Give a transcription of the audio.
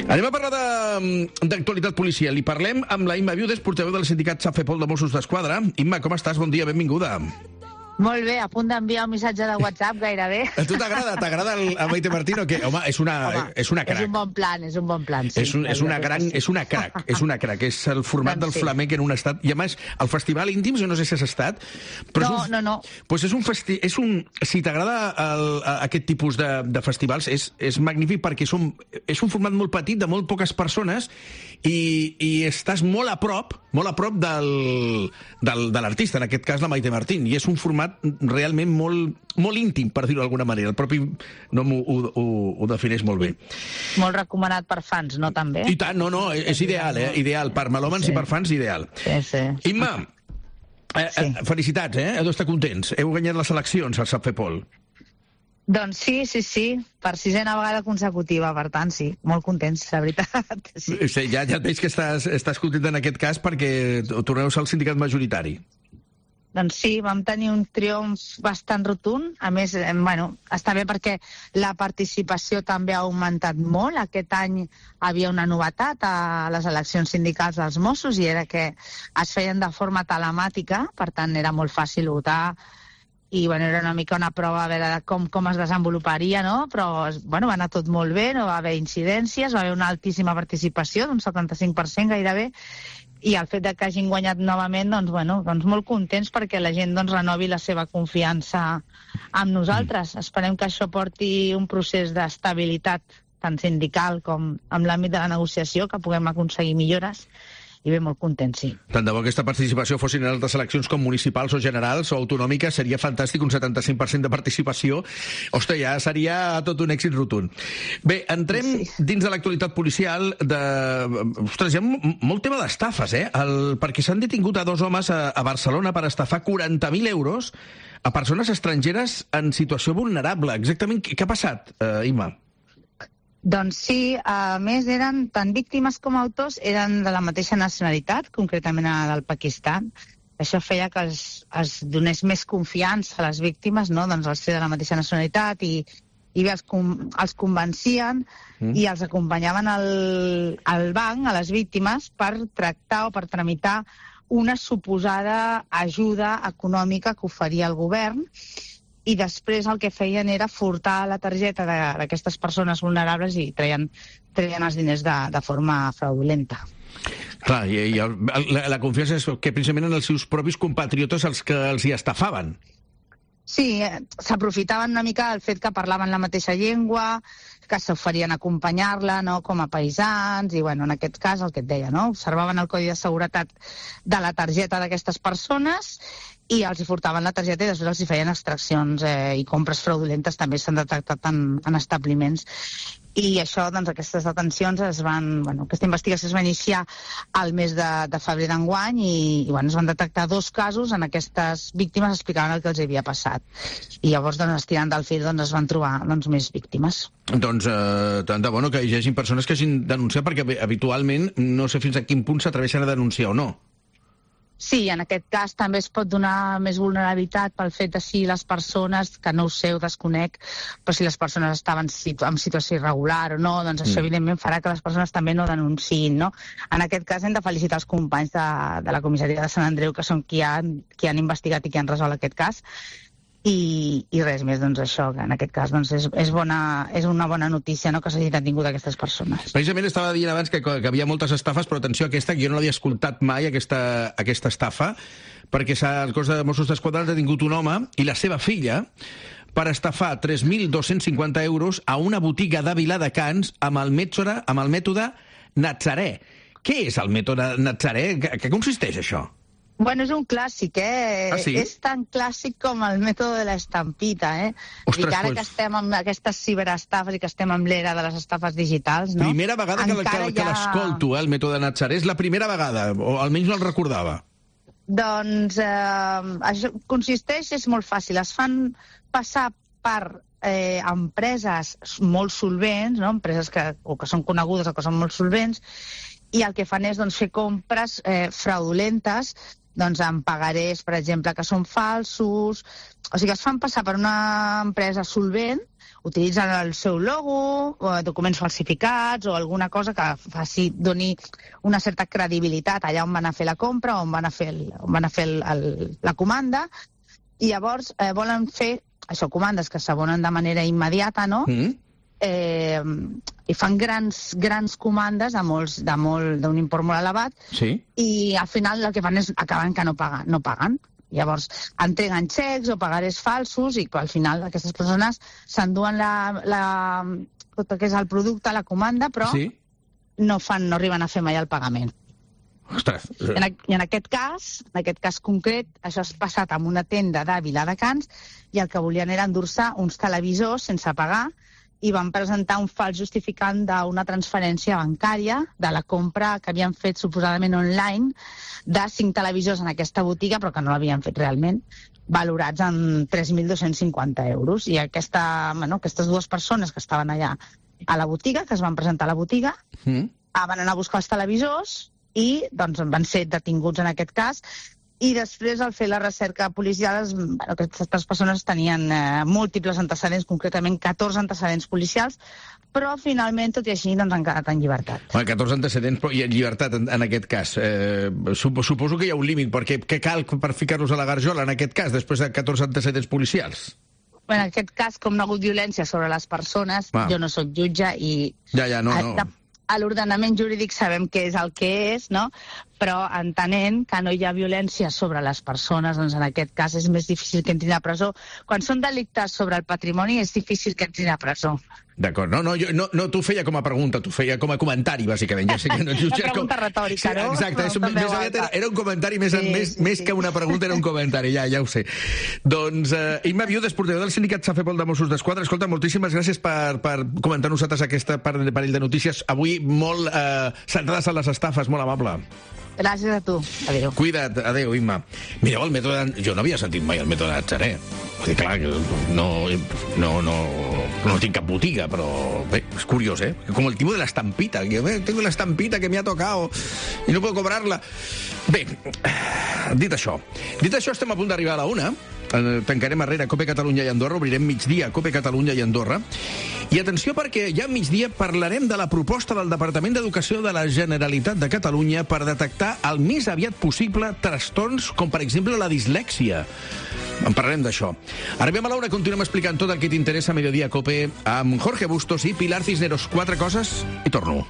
Anem a parlar d'actualitat policial i parlem amb la Imma Viudes, portaveu del sindicat Safepol de Mossos d'Esquadra. Imma, com estàs? Bon dia, benvinguda. Molt bé, a punt d'enviar un missatge de WhatsApp gairebé. A tu t'agrada el Maite Martín o què? Home, és una crac. És un bon plan, sí. És una crac. És el format del flamenc en un estat. I a més, el Festival Íntims, jo no sé si has estat, però no. Pues si t'agrada aquest tipus de festivals, és magnífic perquè és un format molt petit, de molt poques persones, i estàs molt a prop de l'artista, en aquest cas la Maite Martín, i és un format realment molt íntim, per dir-ho d'alguna manera. El propi nom ho defineix molt bé. Molt recomanat per fans, no, també? I tant, no, és ideal, ideal. Per melòmans i per fans, ideal. Sí. Imma, felicitats, heu d'estar contents. Heu guanyat les eleccions al Safepol. Doncs sí, per 6a vegada consecutiva, per tant, sí, molt contents, la veritat. Sí. Ja et veig que estàs content en aquest cas perquè torneu a ser el sindicat majoritari. Doncs sí, vam tenir un triomf bastant rotund. A més, està bé perquè la participació també ha augmentat molt. Aquest any havia una novetat a les eleccions sindicals dels Mossos i era que es feien de forma telemàtica, per tant era molt fàcil votar i era una mica una prova a veure com es desenvoluparia, no? Però va anar tot molt bé, no va haver incidències, va haver una altíssima participació, d'un 75% gairebé, i el fet que hagin guanyat novament, doncs molt contents perquè la gent renovi la seva confiança amb nosaltres. Esperem que això porti un procés d'estabilitat tant sindical com amb l'àmbit de la negociació, que puguem aconseguir millores, i bé, molt contents, sí. Tant de bo aquesta participació fossin en altres eleccions com municipals o generals o autonòmiques, seria fantàstic, un 75% de participació. Ostres, ja seria tot un èxit rotund. Bé, entrem dins de l'actualitat policial Ostres, hi ha molt tema d'estafes, perquè s'han detingut a 2 homes a Barcelona per estafar 40.000 euros a persones estrangeres en situació vulnerable. Exactament, què ha passat, Imma? Doncs sí, a més eren tant víctimes com autors, eren de la mateixa nacionalitat, concretament del Pakistan. Això feia que es donés més confiança a les víctimes, no? Doncs al ser de la mateixa nacionalitat i bé, els convencien i els acompanyaven al banc, a les víctimes, per tractar o per tramitar una suposada ajuda econòmica que oferia el govern, i després el que feien era furtar la targeta d'aquestes persones vulnerables i treien els diners de forma fraudulenta. Clar, i la confiança és que precisament en els seus propis compatriotes els que els hi estafaven. Sí, s'aprofitaven una mica del fet que parlaven la mateixa llengua, que s'oferien a acompanyar-la, no?, com a paisans, i en aquest cas el que et deia, no?, observaven el codi de seguretat de la targeta d'aquestes persones i els hi furtaven la targeta i després els hi feien extraccions i compres fraudulentes també s'han detectat en establiments. I això, doncs, aquestes detencions aquesta investigació es va iniciar al mes de febrer d'enguany i es van detectar 2 casos en aquestes víctimes explicaven el que els havia passat. I llavors, estirant del fil, es van trobar més víctimes. Doncs tant de bo que hi hagi persones que hagin denunciat, perquè habitualment no sé fins a quin punt s'atreveixen a denunciar o no. Sí, en aquest cas també es pot donar més vulnerabilitat pel fet de si les persones, que no ho sé, ho desconec, però si les persones estaven en situació irregular o no, doncs això evidentment farà que les persones també no denunciïn, no? En aquest cas hem de felicitar els companys de la comissaria de Sant Andreu, que són qui han investigat i qui han resolt aquest cas, i res més, doncs això, que en aquest cas és una bona notícia, no?, que s'hagi detingut aquestes persones. Precisament estava dient abans que havia moltes estafes, però atenció a aquesta, que jo no l'havia escoltat mai, aquesta estafa, perquè el cos de Mossos d'Esquadra ha detingut un home i la seva filla per estafar 3.250 euros a una botiga de Viladecans amb el mètode Natzaré. Què és el mètode Natzaré? Què consisteix això? És un clàssic, Ah, sí? És tan clàssic com el mètode de l'estampita, Ostres, I que ara que estem amb aquestes ciberestafes i que estem amb l'era de les estafes digitals, no? Primera vegada que l'escolto, el mètode Natzaré. És la primera vegada, o almenys no el recordava. Doncs això consisteix, és molt fàcil. Es fan passar per empreses molt solvents, no? Empreses que són conegudes o que són molt solvents, i el que fan és doncs, fer compres fraudulentes doncs, amb pagarés, per exemple, que són falsos. O sigui, es fan passar per una empresa solvent, utilitzen el seu logo, o documents falsificats o alguna cosa que doni una certa credibilitat allà on van a fer la compra o on van a fer la comanda, i llavors volen fer això, comandes que s'abonen de manera immediata, no? I fan grans comandes d'un import molt elevat, i al final el que fan és acaben que no paguen. Llavors, entreguen xecs o pagarés falsos i al final aquestes persones s'enduen tot el que és el producte, la comanda, però no arriben a fer mai el pagament. Ostres. I en aquest cas concret, això ha passat en una tenda de Viladecans i el que volien era endur-se uns televisors sense pagar i van presentar un fals justificant d'una transferència bancària de la compra que havien fet suposadament online de 5 televisors en aquesta botiga, però que no l'havien fet realment, valorats en 3.250 euros. I aquestes dues persones que estaven allà a la botiga, que es van presentar a la botiga, van anar a buscar els televisors i doncs, van ser detinguts en aquest cas. I després, al fer la recerca policial, aquestes persones tenien múltiples antecedents, concretament 14 antecedents policials, però finalment, tot i així, doncs, han quedat en llibertat. 14 antecedents i en llibertat, en aquest cas. Suposo que hi ha un límit, perquè què cal per ficar-los a la garjola, en aquest cas, després de 14 antecedents policials? En aquest cas, com no ha hagut violència sobre les persones, jo no soc jutge i... A l'ordenament jurídic sabem què és el que és, no? Però entenent que no hi ha violència sobre les persones, doncs en aquest cas és més difícil que entrin a presó. Quan són delictes sobre el patrimoni és difícil que entrin a presó. D'acord, no t'ho feia com a pregunta, t'ho feia com a comentari, bàsicament. Ja sé que no una pregunta retòrica, no? Exacte, era un comentari més que una pregunta, era un comentari, ja ho sé. Doncs, Imma Viudes, portaveu del sindicat Safepol de Mossos d'Esquadra, escolta, moltíssimes gràcies per comentar nosaltres aquesta parell de notícies, avui molt centrades en les estafes, molt amable. Gràcies a tu. Adéu. Cuida't. Adéu, Imma. Mireu, el mètode... Jo no havia sentit mai el mètode Natzaret. Vull dir, clar, no tinc cap botiga, però bé, és curiós, ¿eh? Com el tipo de la estampita. Tengo la estampita que me ha tocado y no puedo cobrarla. Bé, dit això, estem a punt d'arribar a la 1. Tancarem arrere Cope Catalunya i Andorra, obrirem migdia Cope Catalunya i Andorra. I atenció, perquè ja a migdia parlarem de la proposta del Departament d'Educació de la Generalitat de Catalunya per detectar el més aviat possible trastorns com, per exemple, la dislèxia. En parlarem d'això. Arribem a l'hora, continuem explicant tot el que t'interessa a Mediodía Cope amb Jorge Bustos i Pilar Cisneros. 4 coses i torno.